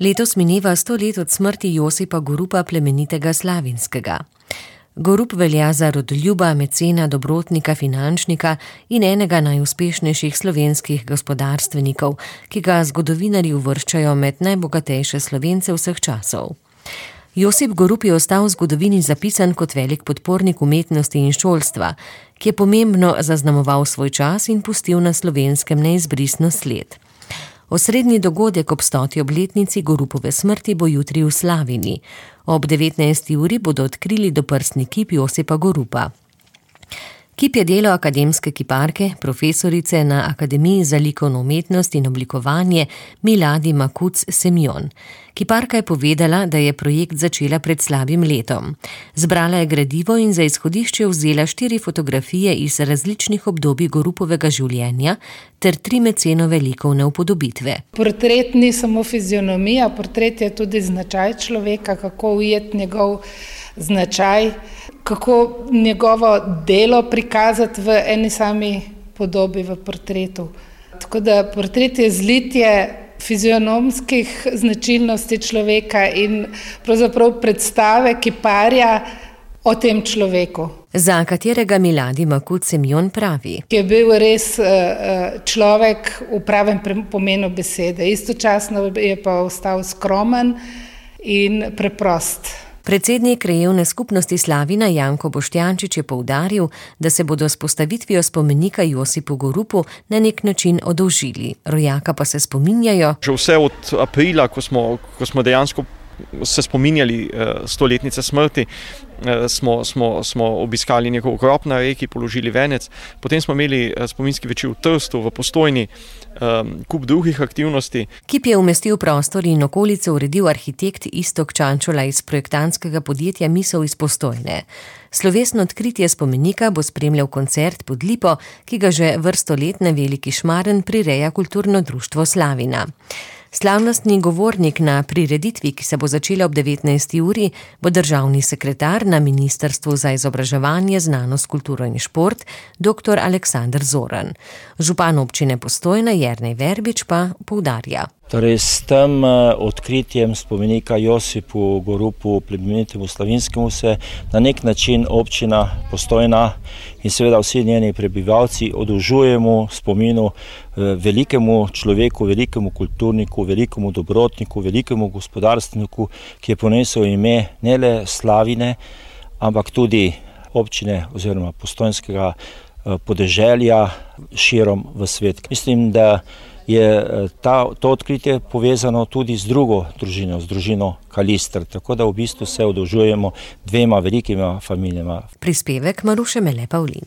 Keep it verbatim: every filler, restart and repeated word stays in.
Letos mineva sto let od smrti Josipa Gorupa plemenitega Slavinskega. Gorup velja za rodoljuba, mecena, dobrotnika, finančnika in enega najuspešnejših slovenskih gospodarstvenikov, ki ga zgodovinarji uvrščajo med najbogatejše Slovence vseh časov. Josip Gorup je ostal v zgodovini zapisan kot velik podpornik umetnosti in šolstva, ki je pomembno zaznamoval svoj čas in pustil na Slovenskem neizbrisno sled. Osrednji dogodek ob stoti obletnici Gorupove smrti bo jutri v Slavini. Ob devetnajsti uri bodo odkrili doprsni kip Josipa Gorupa. Kip je delo akademske kiparke, profesorice na Akademiji za likovno umetnost in oblikovanje Milady Makuc-Semjon. Kiparka je povedala, da je projekt začela pred slabim letom. Zbrala je gradivo in za izhodišče vzela štiri fotografije iz različnih obdobij Gorupovega življenja ter tri mecenove likovne upodobitve. Portret ni samo fizionomija, portret je tudi značaj človeka, kako ujeti njegov značaj, kako njegovo delo prikazati v eni sami podobi v portretu. Tako da portret je zlitje fizionomskih značilnosti človeka in pravzaprav predstave kiparja o tem človeku. Za katerega Milady Makuc-Semjon pravi, ki je bil res človek v pravem pomenu besede. Istočasno je pa ostal skromen in preprost. Predsednik krajevne skupnosti Slavina Janko Boštjančič je poudaril, da se bodo s postavitvijo spomenika Josipu Gorupu na nek način oddolžili. Rojaka pa se spominjajo. Že vse od aprila, ko smo, ko smo dejansko se spominjali stoletnice smrti, smo, smo, smo obiskali njegov grob na reki, položili venec. Potem smo imeli spominski večer v Trstu, v Postojni, kup drugih aktivnosti. Kip je umestil prostor in okolico uredil arhitekt Iztok Čančola iz projektantskega podjetja Misel iz Postojne. Slovesno odkritje spomenika bo spremljal koncert pod lipo, ki ga že vrsto let na Veliki Šmaren prireja Kulturno društvo Slavina. Slavnostni govornik na prireditvi, ki se bo začela ob devetnajsti uri, bo državni sekretar na Ministrstvu za izobraževanje, znanost, kulturo in šport, doktor Aleksander Zoran. Župan občine Postojna Jernej Verbič pa poudarja. Torej, s tem odkritjem spomenika Josipu Gorupu, plemenitemu Slavinskemu, se na nek način občina Postojna in seveda vsi njeni prebivalci oddolžujemo spominu velikemu človeku, velikemu kulturniku, velikemu dobrotniku, velikemu gospodarstveniku, ki je ponesel ime ne le Slavine, ampak tudi občine oziroma postojnskega podeželja širom v svet. Mislim, da je ta, to odkritje povezano tudi z drugo družino, z družino Kalister, tako da v bistvu se oddolžujemo dvema velikima familijama. Prispevek Maruše Mele Pavlin.